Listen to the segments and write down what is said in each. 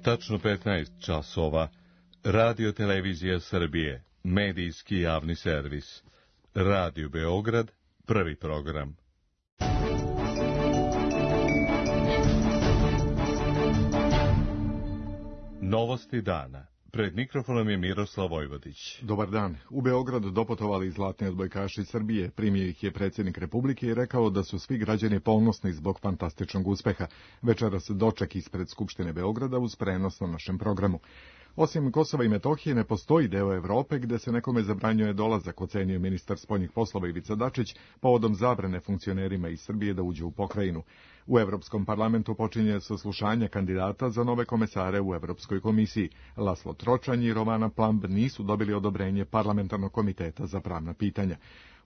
Tačno 15 časova. Radio Televizija Srbije, medijski javni servis. Radio Beograd, prvi program. Novosti dana. Pred mikrofonom je Miroslav Vojvodić. Dobar dan. U Beograd doputovali zlatni odbojkaši Srbije. Primio ih je predsjednik Republike i rekao da su svi građani ponosni zbog fantastičnog uspeha. Večeras doček ispred Skupštine Beograda uz prenos na našem programu. Osim Kosova i Metohije ne postoji deo Evrope gde se nekome zabranjuje dolazak, ocenio ministar spoljnih poslova Ivica Dačić, povodom zabrane funkcionerima iz Srbije da uđu u pokrajinu. U Evropskom parlamentu počinje saslušanje kandidata za nove komesare u Evropskoj komisiji. Laslo Tročanj i Rovana Plamb nisu dobili odobrenje Parlamentarnog komiteta za pravna pitanja.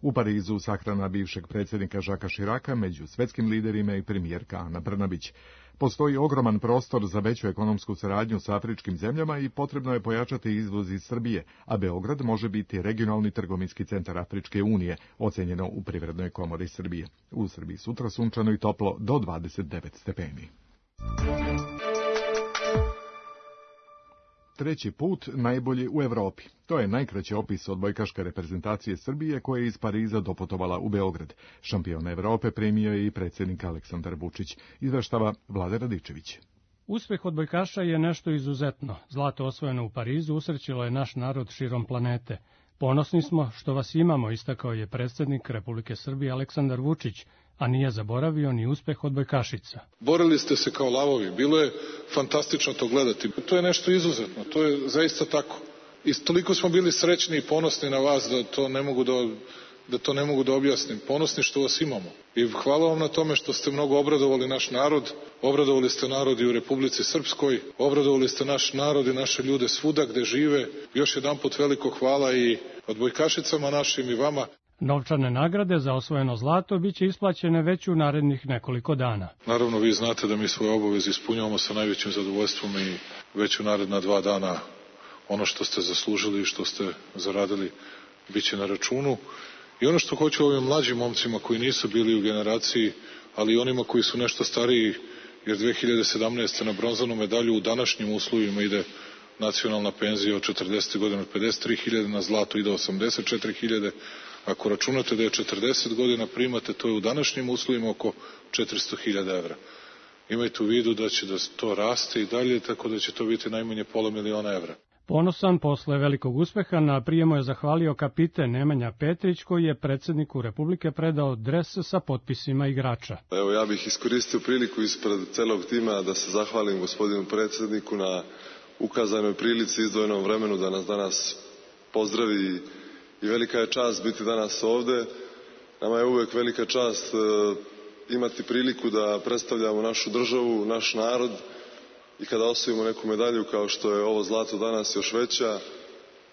U Parizu sahrana bivšeg predsjednika Žaka Širaka među svetskim liderima i premijerka Ana Brnabić. Postoji ogroman prostor za veću ekonomsku saradnju sa afričkim zemljama i potrebno je pojačati izvoz iz Srbije, a Beograd može biti regionalni trgovinski centar Afričke unije, ocenjeno u Privrednoj komori Srbije. U Srbiji sutra sunčano i toplo do 29 stepeni. Treći put najbolji u Evropi. To je najkraći opis odbojkaške reprezentacije Srbije koja je iz Pariza doputovala u Beograd. Šampiona Evrope primio je i predsjednik Aleksandar Vučić, izveštava Vlada Radičević. Uspeh odbojkaša je nešto izuzetno. Zlato osvojeno u Parizu usrećilo je naš narod širom planete. Ponosni smo što vas imamo, istakao je predsjednik Republike Srbije Aleksandar Vučić, a nije zaboravio ni uspeh odbojkašica. Borili ste se kao lavovi, bilo je fantastično to gledati. To je nešto izuzetno, to je zaista tako. I toliko smo bili srećni i ponosni na vas da to ne mogu da objasnim. Ponosni što vas imamo. I hvala vam na tome što ste mnogo obradovali naš narod, obradovali ste narod i u Republici Srpskoj, obradovali ste naš narod i naše ljude svuda gde žive. Još jedanput veliko hvala i odbojkašicama našim i vama. Novčane nagrade za osvojeno zlato biće isplaćene već u narednih nekoliko dana. Naravno, vi znate da mi svoje obaveze ispunjavamo sa najvećim zadovoljstvom i već u naredna 2 dana ono što ste zaslužili i što ste zaradili biće na računu. I ono što hoću ovim mlađim momcima koji nisu bili u generaciji, ali i onima koji su nešto stariji, jer 2017. na bronzanu medalju u današnjim uslovima ide nacionalna penzija od 40 godina, od 53.000 na zlato ide 84.000. Ako računate da je 40 godina primate, to je u današnjim uslovima oko 400.000 evra. Imajte u vidu da će to raste i dalje, tako da će to biti najmanje $500.000 evra. Ponosan posle velikog uspeha na prijemu je zahvalio kapiten Nemanja Petrić, koji je predsjedniku Republike predao dres sa potpisima igrača. Evo, ja bih iskoristio priliku ispred celog tima da se zahvalim gospodinu predsjedniku na ukazanoj prilici, izdvojenom vremenu da nas danas pozdravi i velika je čast biti danas ovde. Nama je uvek velika čast imati priliku da predstavljamo našu državu, naš narod i kada osvojimo neku medalju kao što je ovo zlato danas još veća,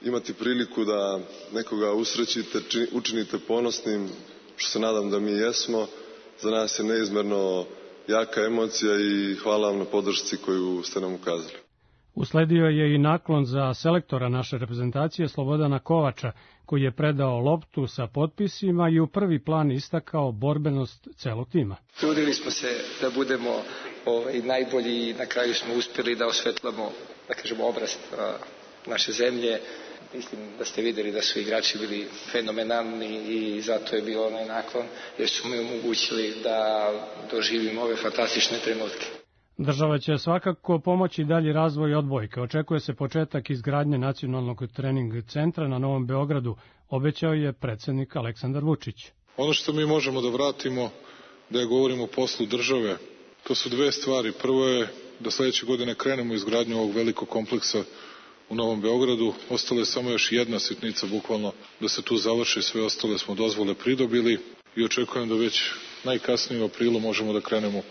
imati priliku da nekoga usrećite, učinite ponosnim, što se nadam da mi jesmo. Za nas je neizmerno jaka emocija i hvala vam na podršci koju ste nam ukazali. Usledio je i naklon za selektora naše reprezentacije Slobodana Kovača, koji je predao loptu sa potpisima i u prvi plan istakao borbenost celog tima. Trudili smo se da budemo najbolji i na kraju smo uspjeli da osvetlamo, da kažemo, obraz naše zemlje. Mislim da ste vidjeli da su igrači bili fenomenalni i zato je bio onaj naklon, jer su mi omogućili da doživimo ove fantastične trenutke. Država će svakako pomoći dalji razvoj odbojke. Očekuje se početak izgradnje nacionalnog trening centra na Novom Beogradu, obećao je predsjednik Aleksandar Vučić. Ono što mi možemo da vratimo, da govorimo o poslu države, to su 2 stvari. Prvo je da sledeće godine krenemo izgradnju ovog velikog kompleksa u Novom Beogradu. Ostala je samo još jedna sitnica, bukvalno, da se tu završi. Sve ostale smo dozvole pridobili i očekujem da već najkasnije u aprilu možemo da krenemo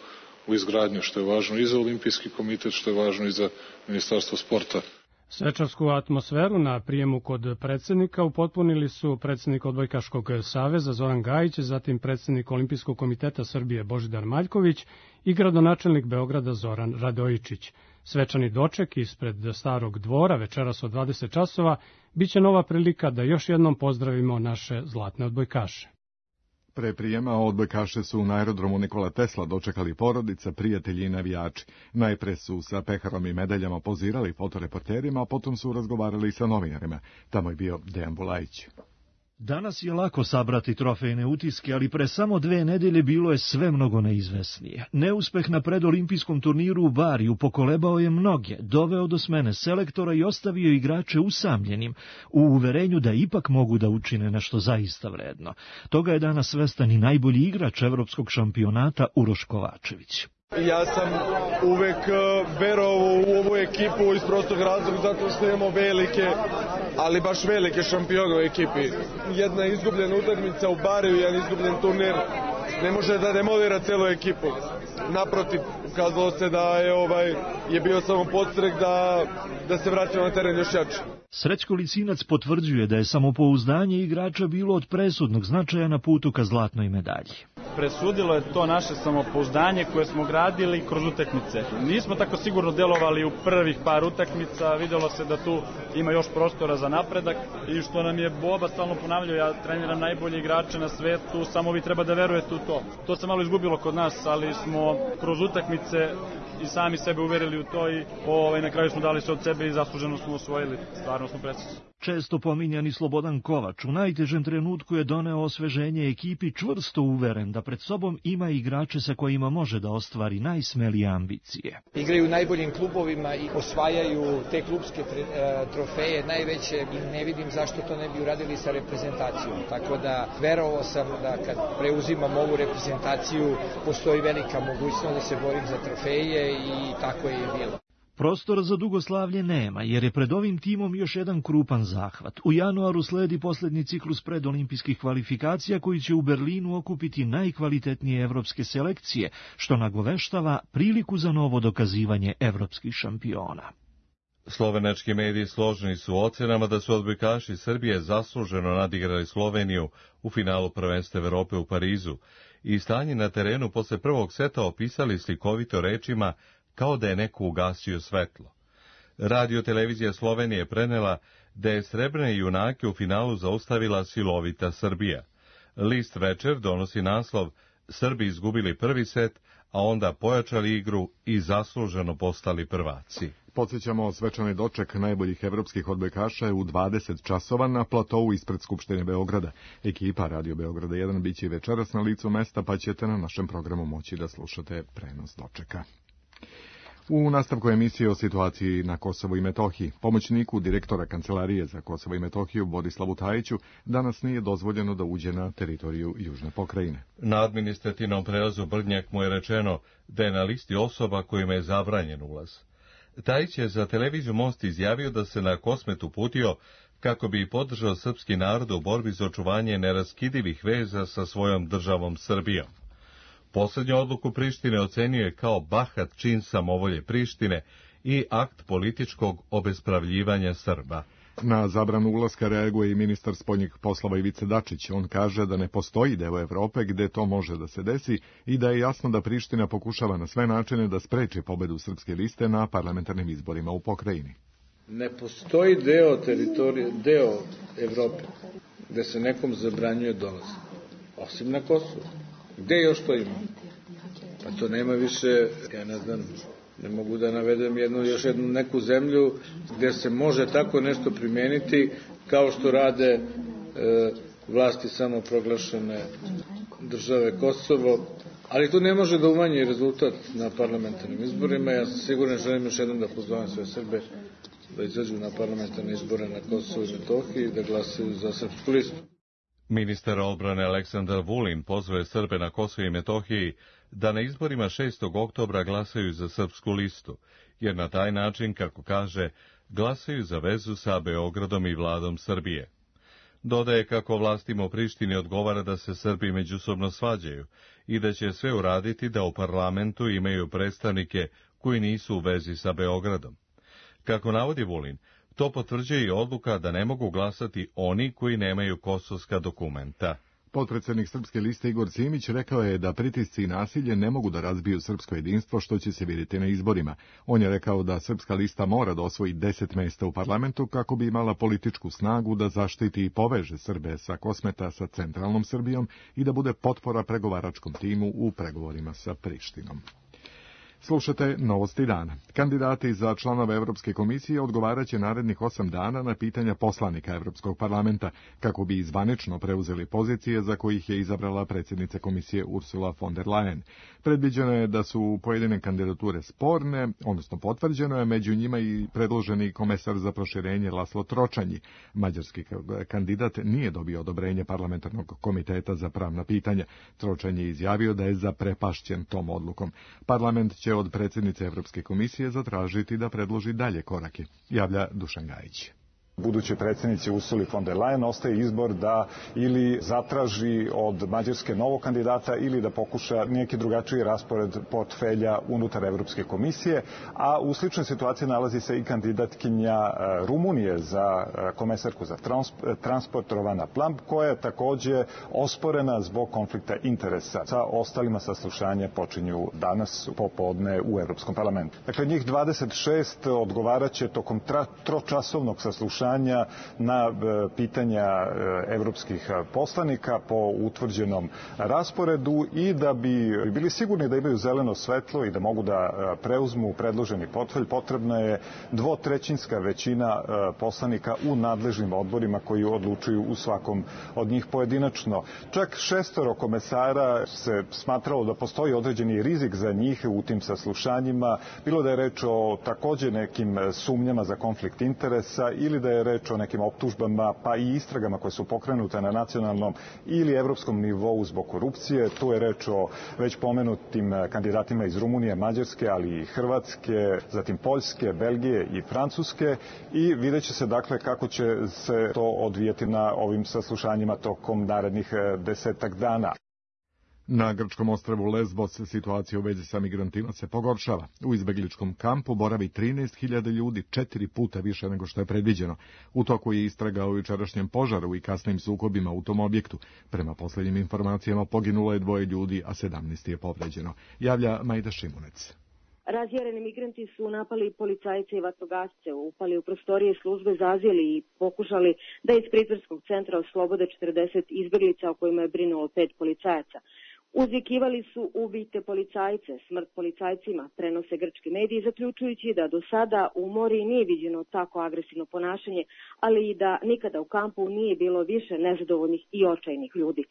u izgradnju, što je važno i za Olimpijski komitet, što je važno i za Ministarstvo sporta. Svečarsku atmosferu na prijemu kod predsjednika upotpunili su predsjednik Odbojkaškog saveza Zoran Gajić, zatim predsjednik Olimpijskog komiteta Srbije Božidar Maljković i gradonačelnik Beograda Zoran Radojičić. Svečani doček ispred Starog dvora večeras od 20 časova biće nova prilika da još jednom pozdravimo naše zlatne odbojkaše. Pre prijema odbojkaše su na aerodromu Nikola Tesla dočekali porodica, prijatelji i navijači. Najpre su sa peharom i medaljama pozirali fotoreporterima, a potom su razgovarali sa novinarima. Tamo je bio Dejan Bulajić. Danas je lako sabrati trofejne utiske, ali pre samo 2 nedelje bilo je sve mnogo neizvesnije. Neuspeh na predolimpijskom turniru u Bariju pokolebao je mnoge, doveo do smene selektora i ostavio igrače usamljenim, u uverenju da ipak mogu da učine nešto zaista vredno. Toga je danas svestan i najbolji igrač evropskog šampionata Uroš Kovačević. Ja sam uvek verovao u ovu ekipu iz prostog razloga zato što imamo velike, ali baš velike šampione u ekipi. Jedna izgubljena utakmica u Bariju, jedan izgubljen turnir ne može da demolira celu ekipu. Naprotiv, ukazalo se da je bio samo podstrek da se vratimo na teren još jače. Srećko Licinac potvrđuje da je samopouzdanje igrača bilo od presudnog značaja na putu ka zlatnoj medalji. Presudilo je to naše samopouzdanje koje smo gradili kroz utakmice. Nismo tako sigurno delovali u prvih par utakmica, videlo se da tu ima još prostora za napredak i što nam je Boba stalno ponavljao, ja treniram najbolje igrače na svetu, samo vi treba da verujete u to. To se malo izgubilo kod nas, ali smo kroz utakmice i sami sebe uverili u to i na kraju smo dali sve od sebe i zasluženo smo osvojili, stvarno smo presudni. Često pominjani Slobodan Kovač u najtežem trenutku je doneo osveženje ekipi, čvrsto uveren da pred sobom ima igrače sa kojima može da ostvari najsmelije ambicije. Igraju u najboljim klubovima i osvajaju te klubske trofeje najveće i ne vidim zašto to ne bi uradili sa reprezentacijom. Tako da verovao sam da kad preuzimam ovu reprezentaciju postoji velika mogućnost da se borim za trofeje i tako je i bilo. Prostora za dugoslavlje nema, jer je pred ovim timom još jedan krupan zahvat. U januaru sledi posljednji ciklus predolimpijskih kvalifikacija koji će u Berlinu okupiti najkvalitetnije evropske selekcije, što nagoveštava priliku za novo dokazivanje evropskih šampiona. Slovenački mediji složni su ocenama da su odbojkaši Srbije zasluženo nadigrali Sloveniju u finalu prvenstva Evrope u Parizu i stanje na terenu posle prvog seta opisali slikovito rečima kao da je neko ugasio svetlo. Radio-televizija Slovenije prenela da je srebrne junake u finalu zaustavila silovita Srbija. List Večer donosi naslov Srbi izgubili prvi set, a onda pojačali igru i zasluženo postali prvaci. Podsjećamo, svečani doček najboljih evropskih odbojkaša je u 20 časova na platovu ispred Skupštine Beograda. Ekipa Radio Beograda 1 biće večeras na licu mesta, pa ćete na našem programu moći da slušate prenos dočeka. U nastavku emisije o situaciji na Kosovu i Metohiji, pomoćniku direktora Kancelarije za Kosovo i Metohiju Borislavu Tajiću danas nije dozvoljeno da uđe na teritoriju južne pokrajine. Na administrativnom prelazu Brnjak mu je rečeno da je na listi osoba kojima je zabranjen ulaz. Tajić je za televiziju Most izjavio da se na Kosmet uputio kako bi podržao srpski narod u borbi za očuvanje neraskidivih veza sa svojom državom Srbijom. Poslednju odluku Prištine ocenjuje kao bahat čin samovolje Prištine i akt političkog obespravljivanja Srba. Na zabranu ulaska reaguje i ministar spoljnih poslova Ivica Dačić. On kaže da ne postoji deo Evrope gde to može da se desi i da je jasno da Priština pokušava na sve načine da spreči pobedu srpske liste na parlamentarnim izborima u pokrajini. Ne postoji deo Evrope gde se nekom zabranjuje dolaz, osim na Kosovu. Gde još to ima? Pa to nema više, ja ne znam, ne mogu da navedem još jednu neku zemlju gde se može tako nešto primeniti kao što rade vlasti samoproglašene države Kosovo, ali to ne može da umanji rezultat na parlamentarnim izborima. Ja sigurno želim još jednom da pozovem sve Srbe da izađu na parlamentarne izbore na Kosovo i Metohiji i da glasaju za srpsku listu. Ministar odbrane Aleksandar Vulin pozvao Srbe na Kosovu i Metohiji da na izborima 6. oktobra glasaju za srpsku listu, jer na taj način, kako kaže, glasaju za vezu sa Beogradom i vladom Srbije. Dodaje kako vlastima u Prištini odgovara da se Srbi međusobno svađaju i da će sve uraditi da u parlamentu imaju predstavnike koji nisu u vezi sa Beogradom. Kako navodi Vulin, to potvrđuje i odluka da ne mogu glasati oni koji nemaju kosovska dokumenta. Potpredsednik Srpske liste Igor Simić rekao je da pritisci i nasilje ne mogu da razbiju srpsko jedinstvo, što će se vidjeti na izborima. On je rekao da Srpska lista mora da osvoji 10 mesta u parlamentu kako bi imala političku snagu da zaštiti i poveže Srbe sa Kosmeta sa centralnom Srbijom i da bude potpora pregovaračkom timu u pregovorima sa Prištinom. Slušate Novosti dana. Kandidati za članove Evropske komisije odgovaraće narednih 8 dana na pitanja poslanika Evropskog parlamenta, kako bi zvanično preuzeli pozicije za kojih je izabrala predsjednica komisije Ursula von der Leyen. Predviđeno je da su pojedine kandidature sporne, odnosno potvrđeno je među njima i predloženi komesar za proširenje Laslo Tročanji. Mađarski kandidat nije dobio odobrenje parlamentarnog komiteta za pravna pitanja. Tročanji je izjavio da je zaprepašćen tom odlukom. Parlament će od predsjednice Evropske komisije zatražiti da predloži dalje korake, javlja Dušan Gajić. Budućoj predsjednici Ursuli von der Leyen ostaje izbor da ili zatraži od Mađarske novog kandidata ili da pokuša neki drugačiji raspored portfelja unutar Evropske komisije, a u sličnoj situaciji nalazi se i kandidatkinja Rumunije za komesarku za transport Rovana Plumb, koja je takođe osporena zbog konflikta interesa. Sa ostalima saslušanje počinju danas popodne u Evropskom parlamentu. Dakle, njih 26 odgovaraće tokom tročasovnog saslušanja na pitanja evropskih poslanika po utvrđenom rasporedu i da bi bili sigurni da imaju zeleno svetlo i da mogu da preuzmu predloženi portfelj, potrebna je dvotrećinska većina poslanika u nadležnim odborima koji odlučuju u svakom od njih pojedinačno. Čak 6 komesara se smatralo da postoji određeni rizik za njih u tim saslušanjima, bilo da je reč o takođe nekim sumnjama za konflikt interesa ili da je reč o nekim optužbama pa i istragama koje su pokrenute na nacionalnom ili evropskom nivou zbog korupcije. Tu je reč o već pomenutim kandidatima iz Rumunije, Mađarske, ali i Hrvatske, zatim Poljske, Belgije i Francuske i vidjet će se dakle kako će se to odvijeti na ovim saslušanjima tokom narednih 10 dana. Na grčkom ostrvu Lesbos situacija u vezi sa migrantima se pogoršava. U izbegličkom kampu boravi 13.000 ljudi, 4 puta više nego što je predviđeno. U toku je istraga o jučerašnjem požaru i kasnim sukobima u tom objektu. Prema posljednjim informacijama poginulo je 2 ljudi, a 17 je povređeno. Javlja Majda Šimunec. Razjareni migranti su napali policajce i vatrogasce, upali u prostorije službe za azil i pokušali da iz pritvorskog centra oslobode 40 izbeglica o kojima je brinulo 5 policajaca. Uzvikivali su ubijte policajce, smrt policajcima, prenose grčki mediji, zaključujući da do sada u Mori nije viđeno tako agresivno ponašanje, ali i da nikada u kampu nije bilo više nezadovoljnih i očajnih ljudi.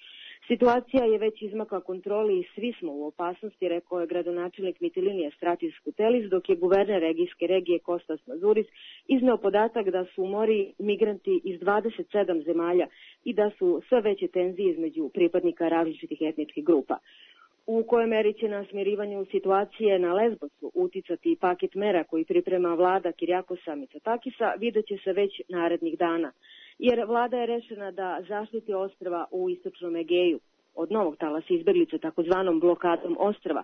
Situacija je već izmakla kontroli i svi smo u opasnosti, rekao je gradonačelnik Mitilinija Stratis Kutelis, dok je guverner Egejske regije Kostas Mazuris izneo podatak da su u Mori migranti iz 27 zemalja i da su sve veće tenzije između pripadnika različitih etničkih grupa. U kojoj meri će na smirivanju situacije na Lesbosu uticati paket mera koji priprema vlada Kirijakosa Mitsotakisa, vidjet će se već narednih dana, jer vlada je rešena da zaštiti ostrva u istočnom Egeju od novog talasa izbeglica takozvanom blokadom ostrva.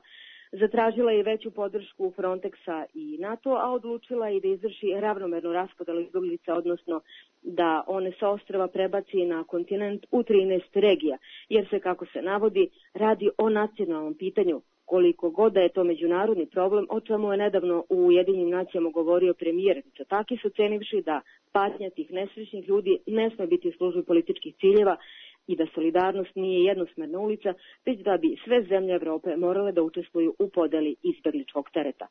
Zatražila je veću podršku Frontexa i NATO, a odlučila i da izvrši ravnomernu raspodelu izbeglica, odnosno da one sa ostrva prebaci na kontinent u 13 regija, jer se, kako se navodi, radi o nacionalnom pitanju, koliko god da je to međunarodni problem, o čemu je nedavno u Ujedinjenim nacijama govorio premijer Mitsotakis, ocenivši da patnja tih nesrećnih ljudi ne sme biti u službi političkih ciljeva i da solidarnost nije jednosmerna ulica, već da bi sve zemlje Evrope morale da učestvuju u podeli izbegličkog tereta.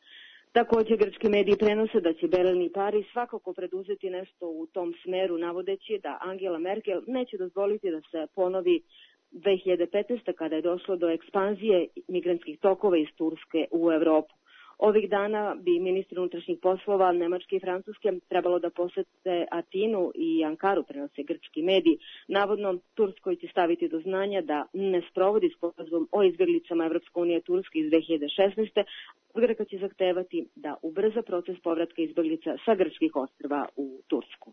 Također, grčki mediji prenose da će Berlin i Pariz svakako preduzeti nešto u tom smeru, navodeći da Angela Merkel neće dozvoliti da se ponovi 2015. kada je došlo do ekspanzije migrantskih tokova iz Turske u Evropu. Ovih dana bi ministri unutrašnjih poslova Nemačke i Francuske trebalo da posete Atinu i Ankaru, prenose grčki mediji. Navodno, Turskoj će staviti do znanja da ne sprovodi sporazum o izbjeglicama Evropska unija Turske iz 2016. Grka će zahtevati da ubrza proces povratka izbjeglica sa grčkih ostrva u Tursku.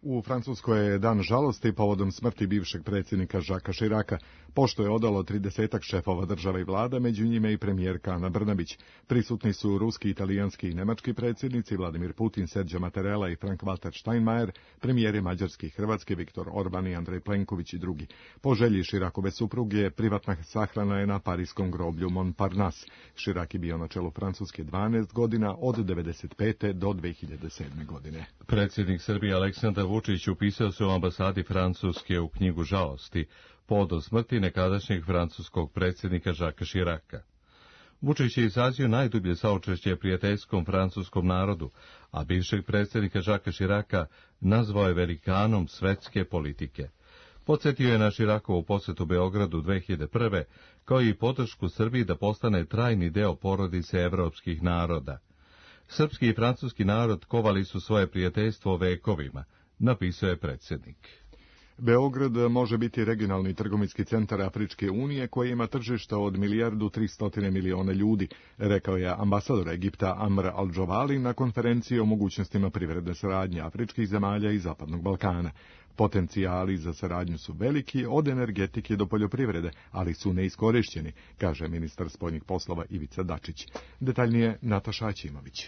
U Francuskoj je dan žalosti povodom smrti bivšeg predsjednika Jacquesa Chiraca, pošto je odalo 30 šefova država i vlada, među njime i premijerka Ana Brnabić. Prisutni su ruski, italijanski i nemački predsjednici Vladimir Putin, Sergio Mattarella i Frank-Walter Steinmeier, premijeri Mađarske i Hrvatske Viktor Orban i Andrej Plenković i drugi. Po želji Chiracove supruge, privatna sahrana je na parijskom groblju Montparnasse. Chirac je bio na čelu Francuske 12 godina, od 1995. do 2007. godine. Predsjednik Srbije Aleksandar Vučić upisao se u ambasadi Francuske u knjigu žalosti povodom smrti nekadašnjeg francuskog predsjednika Jacquesa Chiraca. Vučić je izrazio najdublje saučešće prijateljskom francuskom narodu, a bivšeg predsjednika Jacquesa Chiraca nazvao je velikanom svetske politike. Podsjetio je na Chiracovu posjetu Beogradu 2001. kao i podršku Srbiji da postane trajni deo porodice evropskih naroda. Srpski i francuski narod kovali su svoje prijateljstvo vekovima, napisao je predsjednik. Beograd može biti regionalni trgovinski centar Afričke unije koji ima tržišta od 1.300.000.000 ljudi, rekao je ambasador Egipta Amr al-Džovali na konferenciji o mogućnostima privredne saradnje afričkih zemalja i Zapadnog Balkana. Potencijali za saradnju su veliki, od energetike do poljoprivrede, ali su neiskorišćeni, kaže ministar spoljnih poslova Ivica Dačić. Detaljnije Nataša Aćimović.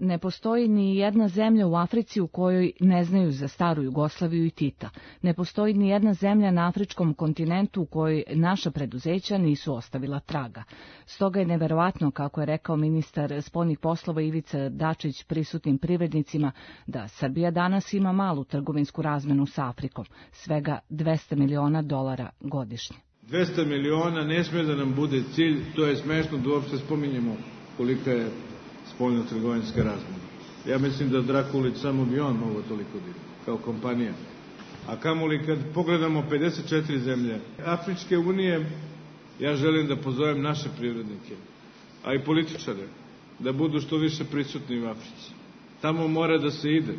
Ne postoji ni jedna zemlja u Africi u kojoj ne znaju za staru Jugoslaviju i Tita. Ne postoji ni jedna zemlja na afričkom kontinentu u kojoj naša preduzeća nisu ostavila traga. Stoga je neverovatno, kako je rekao ministar spoljnih poslova Ivica Dačić prisutnim privrednicima, da Srbija danas ima malu trgovinsku razmenu sa Afrikom, svega $200 miliona godišnje. 200 miliona ne sme da nam bude cilj, to je smešno da uopšte spominjemo kolika je spoljno-trgovinska razmena. Ja mislim da Drakulić samo bi on mogo toliko biti, kao kompanija. A kamoli kad pogledamo 54 zemlje Afričke unije, ja želim da pozovem naše privrednike, a i političare, da budu što više prisutni u Africi. Tamo mora da se ide.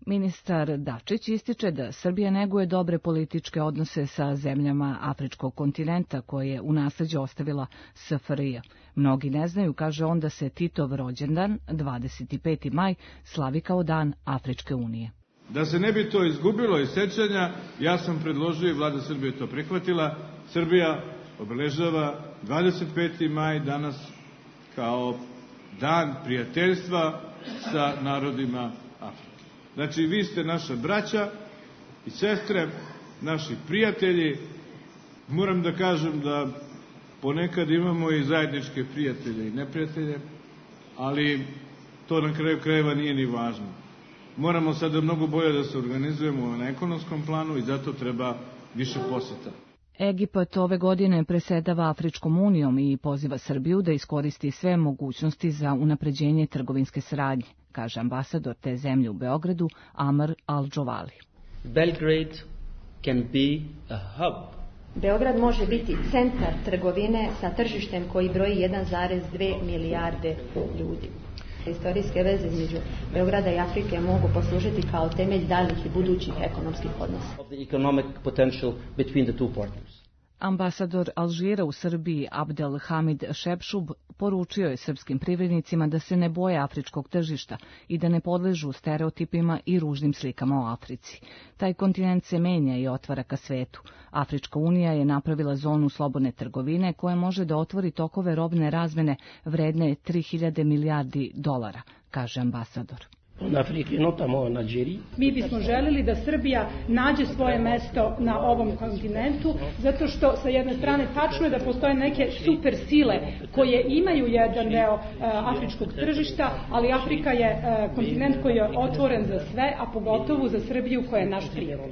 Ministar Dačić ističe da Srbija neguje dobre političke odnose sa zemljama afričkog kontinenta koje je u nasleđe ostavila SFRJ. Mnogi ne znaju, kaže on, da se Titov rođendan, 25. maj, slavi kao dan Afričke unije. Da se ne bi to izgubilo iz sećanja, ja sam predložio i vlada Srbije to prihvatila. Srbija obeležava 25. maj danas kao dan prijateljstva sa narodima Afrike. Znači, vi ste naša braća i sestre, naši prijatelji. Moram da kažem da ponekad imamo i zajedničke prijatelje i neprijatelje, ali to na kraju krajeva nije ni važno. Moramo sada mnogo bolje da se organizujemo na ekonomskom planu i zato treba više poseta. Egipat ove godine presedava Afričkom unijom i poziva Srbiju da iskoristi sve mogućnosti za unapređenje trgovinske saradnje, kaže ambasador te zemlje u Beogradu Amr al-Džovali. Belgrade can be a hub. Beograd može biti centar trgovine sa tržištem koji broji 1,2 milijarde ljudi. Istorijske veze između Beograda i Afrike mogu poslužiti kao temelj daljih i budućih ekonomskih odnosa. Ambasador Alžira u Srbiji Abdel Hamid Šepšub poručio je srpskim privrednicima da se ne boje afričkog tržišta i da ne podležu stereotipima i ružnim slikama o Africi. Taj kontinent se menja i otvara ka svetu. Afrička unija je napravila zonu slobodne trgovine koja može da otvori tokove robne razmene vredne 3.000 milijardi dolara, kaže ambasador. Mi bismo želeli da Srbija nađe svoje mesto na ovom kontinentu, zato što sa jedne strane tačno je da postoje neke super sile koje imaju jedan deo afričkog tržišta, ali Afrika je kontinent koji je otvoren za sve, a pogotovo za Srbiju koja je naš prijatelj.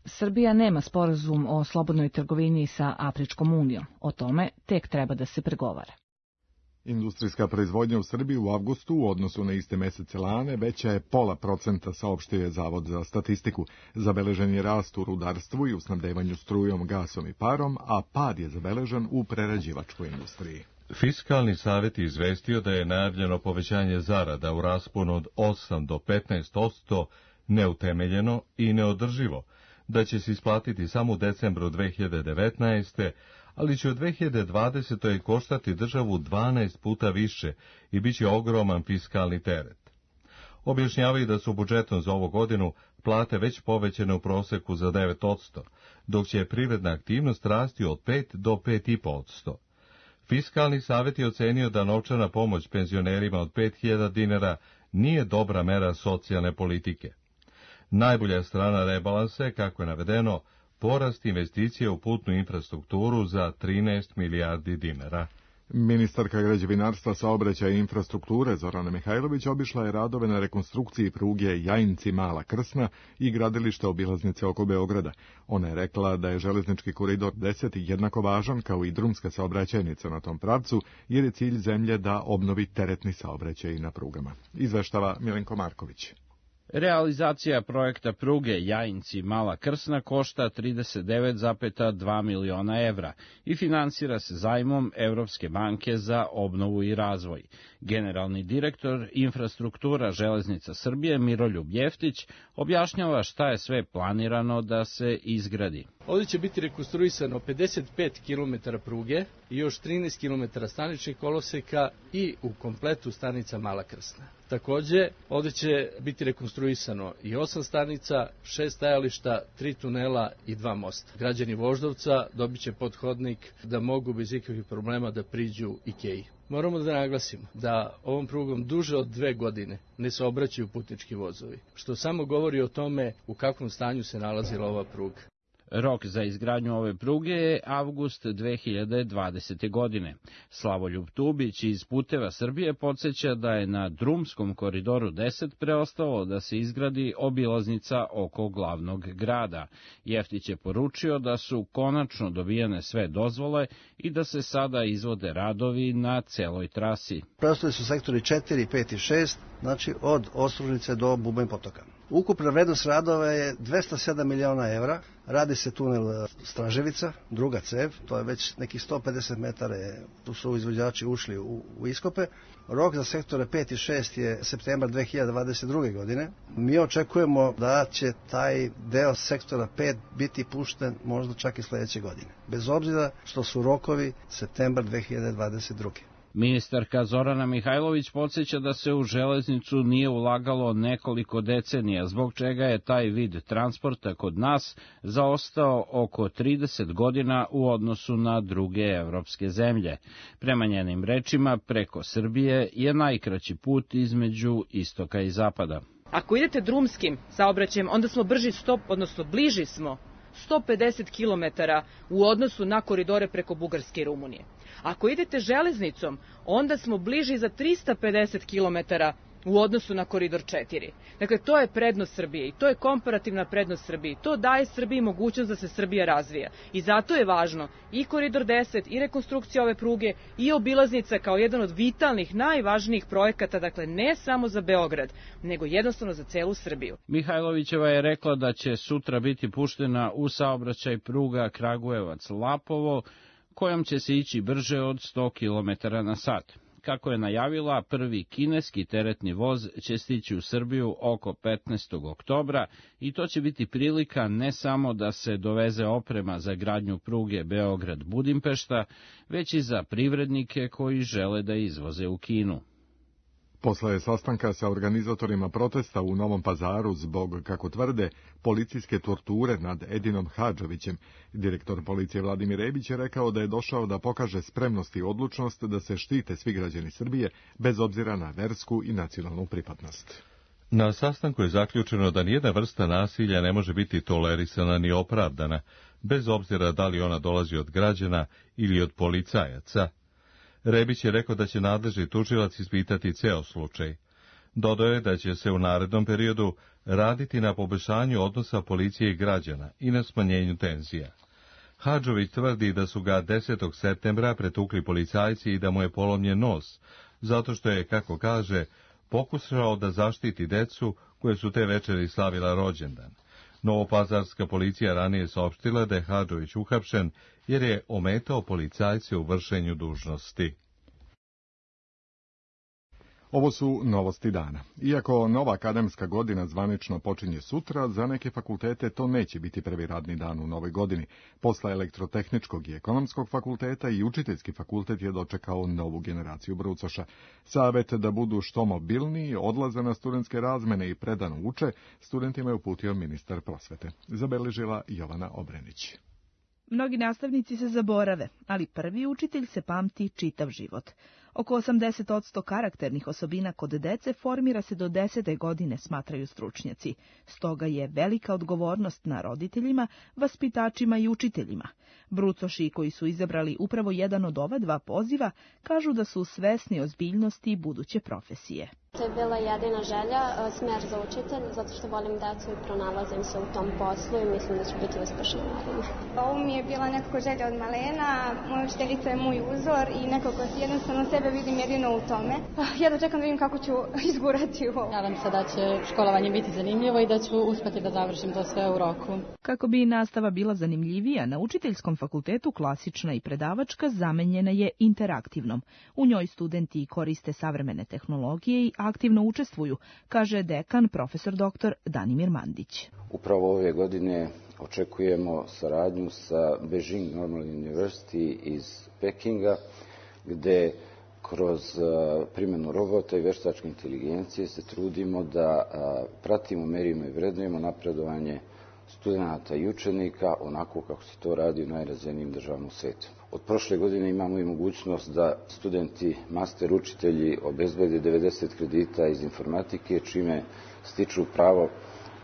Srbija nema sporazum o slobodnoj trgovini sa Afričkom unijom. O tome tek treba da se pregovara. Industrijska proizvodnja u Srbiji u avgustu u odnosu na iste mesece lane veća je 0,5%, saopštio je Zavod za statistiku. Zabeležen je rast u rudarstvu i u snabdevanju strujom, gasom i parom, a pad je zabeležen u prerađivačkoj industriji. Fiskalni savjet je izvestio da je najavljeno povećanje zarada u rasponu od 8 do 15% neutemeljeno i neodrživo, da će se isplatiti samo u decembru 2019. ali će u 2020. koštati državu 12 puta više i bit će ogroman fiskalni teret. Objašnjavaju da su budžetom za ovu godinu plate već povećane u proseku za 9%, dok će privredna aktivnost rasti od 5 do 5,5%. Fiskalni savjet je ocenio da novčana pomoć penzionerima od 5.000 dinara nije dobra mera socijalne politike. Najbolja strana rebalansa je, kako je navedeno, porast investicije u putnu infrastrukturu za 13 milijardi dinara. Ministarka građevinarstva, saobraćaja i infrastrukture Zorana Mihajlović obišla je radove na rekonstrukciji pruge Jajinci-Mala Krsna i gradilišta obilaznice oko Beograda. Ona je rekla da je železnički koridor 10 jednako važan kao i drumska saobraćajnica na tom pravcu, jer je cilj zemlje da obnovi teretni saobraćaj na prugama. Izveštava Milenko Marković. Realizacija projekta pruge Jajinci-Mala Krsna košta 39,2 miliona evra i finansira se zajmom Evropske banke za obnovu i razvoj. Generalni direktor infrastruktura Železnica Srbije Miroljub Jeftić objašnjava šta je sve planirano da se izgradi. Ovdje će biti rekonstruisano 55 km pruge i još 13 km staničnih koloseka i u kompletu stanica Mala Krsna. Takođe, ovdje će biti rekonstruisano i 8 stanica, 6 stajališta, 3 tunela i 2 mosta. Građani Voždovca dobit će podhodnik da mogu bez ikakvih problema da priđu Ikeji. Moramo da naglasimo da ovom prugom duže od 2 godine ne saobraćaju putnički vozovi, što samo govori o tome u kakvom stanju se nalazila ova pruga. Rok za izgradnju ove pruge je avgust 2020. godine. Slavoljub Tubić iz Puteva Srbije podsjeća da je na drumskom koridoru 10 preostalo da se izgradi obilaznica oko glavnog grada. Jeftić je poručio da su konačno dobijene sve dozvole i da se sada izvode radovi na celoj trasi. Preostali su sektori 4, 5 i 6, znači od Ostružnice do Bubanj potoka. Ukupna vrednost radova je 207 miliona evra. Radi se tunel Straževica, druga cev, to je već nekih 150 metara, tu su izvođači ušli u iskope. Rok za sektore 5 i 6 je septembar 2022. godine. Mi očekujemo da će taj deo sektora 5 biti pušten možda čak i sledeće godine, bez obzira što su rokovi septembar 2022. Ministarka Zorana Mihajlović podsjeća da se u železnicu nije ulagalo nekoliko decenija, zbog čega je taj vid transporta kod nas zaostao oko 30 godina u odnosu na druge evropske zemlje. Prema njenim rečima, preko Srbije je najkraći put između istoka i zapada. Ako idete drumskim saobraćajem, onda smo bliži smo 150 km u odnosu na koridore preko Bugarske i Rumunije. Ako idete železnicom, onda smo bliži za 350 km u odnosu na koridor 4. Dakle, to je prednost Srbije i to je komparativna prednost Srbije. To daje Srbiji mogućnost da se Srbija razvija. I zato je važno i koridor 10, i rekonstrukcija ove pruge, i obilaznica kao jedan od vitalnih, najvažnijih projekata, dakle ne samo za Beograd, nego jednostavno za celu Srbiju. Mihajlovićeva je rekla da će sutra biti puštena u saobraćaj pruga Kragujevac-Lapovo, kojom će se ići brže od 100 km na sat. Kako je najavila, prvi kineski teretni voz će stići u Srbiju oko 15. oktobra i to će biti prilika ne samo da se doveze oprema za gradnju pruge Beograd-Budimpešta, već i za privrednike koji žele da izvoze u Kinu. Posle sastanka sa organizatorima protesta u Novom Pazaru zbog, kako tvrde, policijske torture nad Edinom Hadžovićem, direktor policije Vladimir Rebić je rekao da je došao da pokaže spremnost i odlučnost da se štite svi građani Srbije, bez obzira na versku i nacionalnu pripadnost. Na sastanku je zaključeno da nijedna vrsta nasilja ne može biti tolerisana ni opravdana, bez obzira da li ona dolazi od građana ili od policajaca. Rebić je rekao da će nadležni tužilac ispitati ceo slučaj. Dodao je da će se u narednom periodu raditi na poboljšanju odnosa policije i građana i na smanjenju tenzija. Hadžović tvrdi da su ga 10. septembra pretukli policajci i da mu je polomljen nos, zato što je, kako kaže, pokušao da zaštiti decu koje su te večeri slavila rođendan. Novopazarska policija ranije saopštila da je Hadžović uhapšen jer je ometao policajce u vršenju dužnosti. Ovo su novosti dana. Iako nova akademska godina zvanično počinje sutra, za neke fakultete to neće biti prvi radni dan u novoj godini. Posle elektrotehničkog i ekonomskog fakulteta i učiteljski fakultet je dočekao novu generaciju brucoša. Savet da budu što mobilniji, odlaze na studentske razmene i predano uče, studentima je uputio ministar prosvete. Zabeležila Jovana Obrenić. Mnogi nastavnici se zaborave, ali prvi učitelj se pamti čitav život. Oko 80% karakternih osobina kod dece formira se do 10. godine, smatraju stručnjaci. Stoga je velika odgovornost na roditeljima, vaspitačima i učiteljima. Brucoši koji su izabrali upravo jedan od ova dva poziva kažu da su svesni ozbiljnosti buduće profesije. To je bila jedina želja, smer za učitelj, zato što volim decu i pronalazim se u tom poslu i mislim da ću biti uspešna naravno. Ovo mi je bila nekako želja od malena, moja učiteljica je moj uzor i nekako jednostavno sebe vidim jedino u tome. Ja da čekam da vidim kako ću izgurati ovo. Nadam se da će školovanje biti zanimljivo i da ću uspjeti da završim to sve u roku. Kako bi nastava bila zanimljivija, na učiteljskom fakultetu klasična i predavačka zamenjena je interaktivnom. U njoj studenti koriste savremene tehnologije i aktivno učestvuju, kaže dekan profesor dr. Danimir Mandić. Upravo ove godine očekujemo saradnju sa Beijing Normal University iz Pekinga, gde kroz primjenu robota i veštačke inteligencije se trudimo da pratimo, merimo i vrednujemo napredovanje studenata i učenika onako kako se to radi u najrazvijenijim državama u svijetu. Od prošle godine imamo i mogućnost da studenti, master učitelji obezbede 90 kredita iz informatike, čime stiču pravo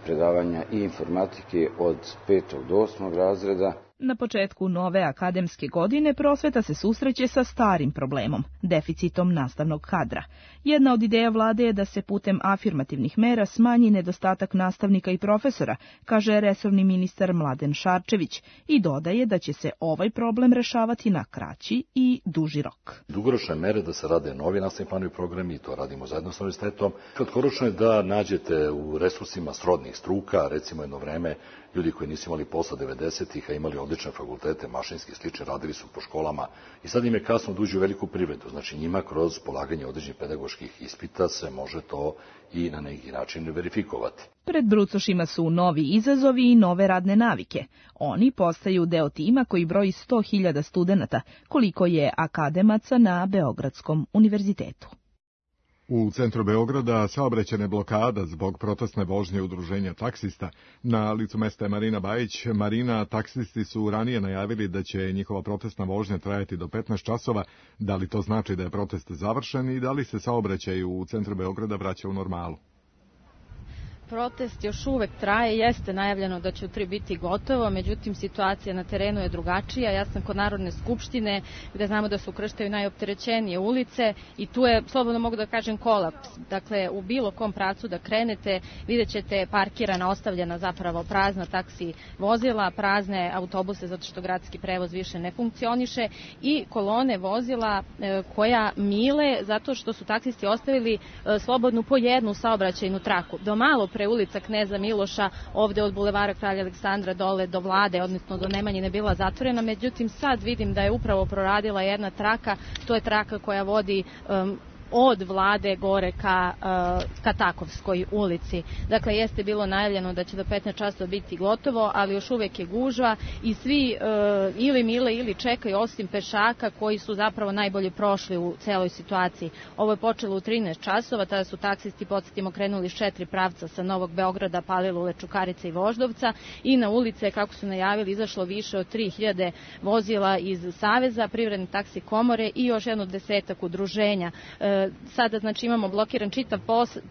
predavanja i informatike od 5. do 8. razreda. Na početku nove akademske godine prosveta se susreće sa starim problemom, deficitom nastavnog kadra. Jedna od ideja vlade je da se putem afirmativnih mera smanji nedostatak nastavnika i profesora, kaže resorni ministar Mladen Šarčević, i dodaje da će se ovaj problem rešavati na kraći i duži rok. Dugoročne mere da se rade novi nastavni planovi i programi, i to radimo zajedno s univerzitetom. Kratkoročno je da nađete u resursima srodnih struka, recimo jedno vreme, ljudi koji nisu imali posla 90-ih, a imali odlične fakultete, mašinski slične, radili su po školama i sad im je kasno da uđu u veliku privredu. Znači njima kroz polaganje određenih pedagoških ispita se može to i na neki način verifikovati. Pred brucošima su novi izazovi i nove radne navike. Oni postaju deo tima koji broji 100.000 studenata, koliko je akademaca na Beogradskom univerzitetu. U centru Beograda saobraćajna blokada zbog protestne vožnje udruženja taksista. Na licu mesta je Marina Bajić. Marina, taksisti su ranije najavili da će njihova protestna vožnja trajati do 15 časova. Da li to znači da je protest završen i da li se saobraćaj u centru Beograda vraća u normalu? Protest još uvek traje, jeste najavljeno da će u 3 biti gotovo, međutim situacija na terenu je drugačija. Ja sam kod Narodne skupštine gde znamo da se ukrštaju najopterećenije ulice i tu je, slobodno mogu da kažem, kolaps. Dakle, u bilo kom pravcu da krenete vidjet ćete parkirana, ostavljena zapravo prazna taksi vozila, prazne autobuse zato što gradski prevoz više ne funkcioniše i kolone vozila koja mile zato što su taksisti ostavili slobodnu po jednu saobraćajnu traku. Do malo pre ulica Kneza Miloša, ovde od bulevara Kralja Aleksandra dole do Vlade, odnosno do Nemanjine, bila zatvorena, međutim sad vidim da je upravo proradila jedna traka, to je traka koja vodi od Vlade gore ka Takovskoj ulici. Dakle, jeste bilo najavljeno da će do 15 časova biti gotovo, ali još uvek je gužva i svi ili mile ili čekaju, osim pešaka koji su zapravo najbolje prošli u celoj situaciji. Ovo je počelo u 13 časova, tada su taksisti, podsjetimo, krenuli iz 4 pravca sa Novog Beograda, Palilule, Čukarice i Voždovca i na ulice, kako su najavili, izašlo više od 3000 vozila iz Saveza, Privredne taksi komore i još jedno 10 udruženja. Sada znači imamo blokiran čitav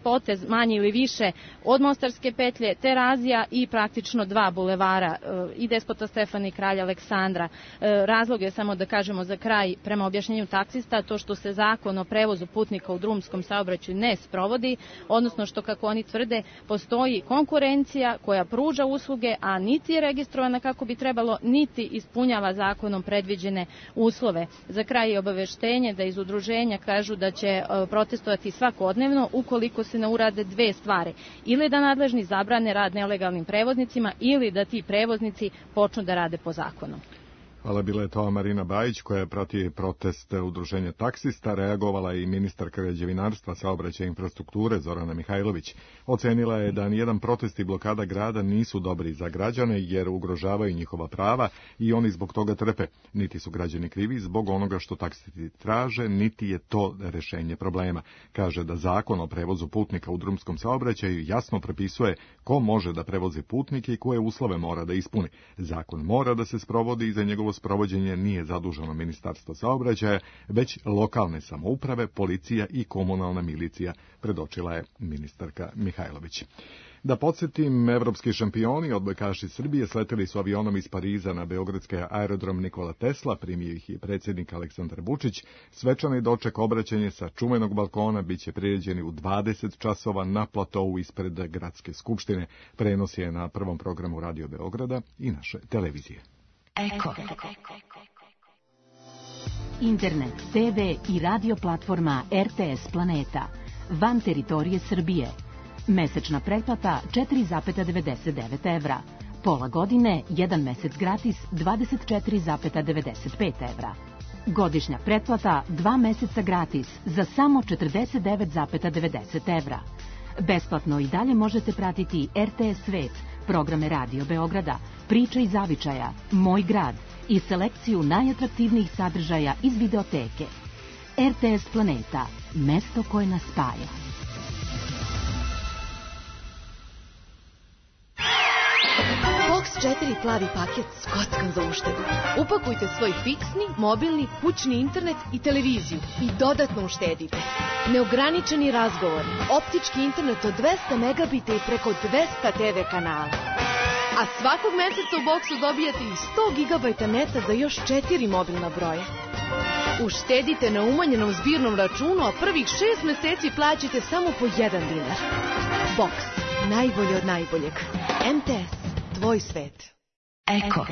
potez manje ili više od Mostarske petlje, Terazija i praktično 2 bulevara i Despota Stefana i Kralja Aleksandra. Razlog je, samo da kažemo za kraj, prema objašnjenju taksista, to što se zakon o prevozu putnika u drumskom saobraćaju ne sprovodi, odnosno što, kako oni tvrde, postoji konkurencija koja pruža usluge, a niti je registrovana kako bi trebalo, niti ispunjava zakonom predviđene uslove. Za kraj je obaveštenje da iz udruženja kažu da će protestovati svakodnevno ukoliko se ne urade 2 stvari. Ili da nadležni zabrane rad nelegalnim prevoznicima ili da ti prevoznici počnu da rade po zakonu. Hvala, bila je to Marina Bajić koja prati protest udruženja taksista. Reagovala je i ministarka građevinarstva, saobraćaja i infrastrukture Zorana Mihajlović. Ocenila je da nijedan protest i blokada grada nisu dobri za građane jer ugrožavaju njihova prava i oni zbog toga trpe. Niti su građani krivi zbog onoga što taksisti traže, niti je to rešenje problema. Kaže da zakon o prevozu putnika u drumskom saobraćaju jasno propisuje ko može da prevozi putnike i koje uslove mora da ispuni. Zakon mora da se sprovodi i za njegovo sprovođenje nije zaduženo Ministarstvo saobraćaja, već lokalne samouprave, policija i komunalna milicija, predočila je ministarka Mihajlović. Da podsjetim, evropski šampioni, odbojkaši Srbije, sleteli su avionom iz Pariza na beogradski aerodrom Nikola Tesla, primio ih je predsjednik Aleksandar Vučić. Svečani doček obraćanje sa čuvenog balkona biće priređeni u 20 časova na platovu ispred Gradske skupštine. Prenos je na prvom programu Radio Beograda i naše televizije. Eko. Internet, TV i radio platforma RTS Planeta. Van teritorije Srbije. Mesečna pretplata 4,99 evra. Pola godine, 1 mesec gratis 24,95 evra. Godišnja pretplata 2 meseca gratis za samo 49,90 evra. Besplatno i dalje možete pratiti RTS Svet, programe Radio Beograda, Priče iz zavičaja, Moj grad i selekciju najatraktivnijih sadržaja iz videoteke. RTS Planeta, mesto koje nas spaja. Box 4 plavi paket s kockom za uštedu. Upakujte svoj fiksni, mobilni, kućni internet i televiziju i dodatno uštedite. Neograničeni razgovor, optički internet od 200 megabita i preko 200 TV kanala. A svakog meseca u boksu dobijate i 100 gigabajta neta za još 4 mobilna broja. Uštedite na umanjenom zbirnom računu, a prvih 6 meseci plaćate samo po 1 dinar. Box, najbolje od najboljeg. MTS, tvoj svet. Eko.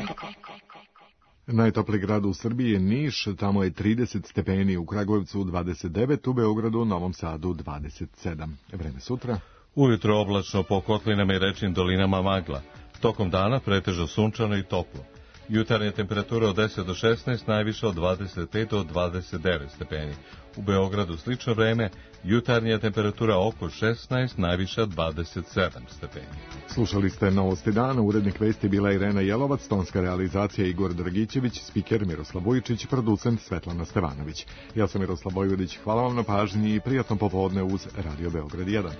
Najtopliji grad u Srbiji je Niš, tamo je 30 stepeni, u Kragujevcu 29, u Beogradu, Novom Sadu 27. Vreme sutra. Ujutro oblačno, po kotlinama i rečnim dolinama magla. Tokom dana pretežno sunčano i toplo. Jutarnja temperatura od 10 do 16, najviše od 25 do 29 stepeni. U Beogradu slično vreme, jutarnja temperatura oko 16, najviše od 27 stepeni. Slušali ste Novosti dana, urednik vesti bila Irena Jelovac, tonska realizacija Igor Dragićević, spiker Miroslav Vujičić, producent Svetlana Stevanović. Ja sam Miroslav Vojvodić, hvala vam na pažnji i prijatno popodne uz Radio Beograd 1.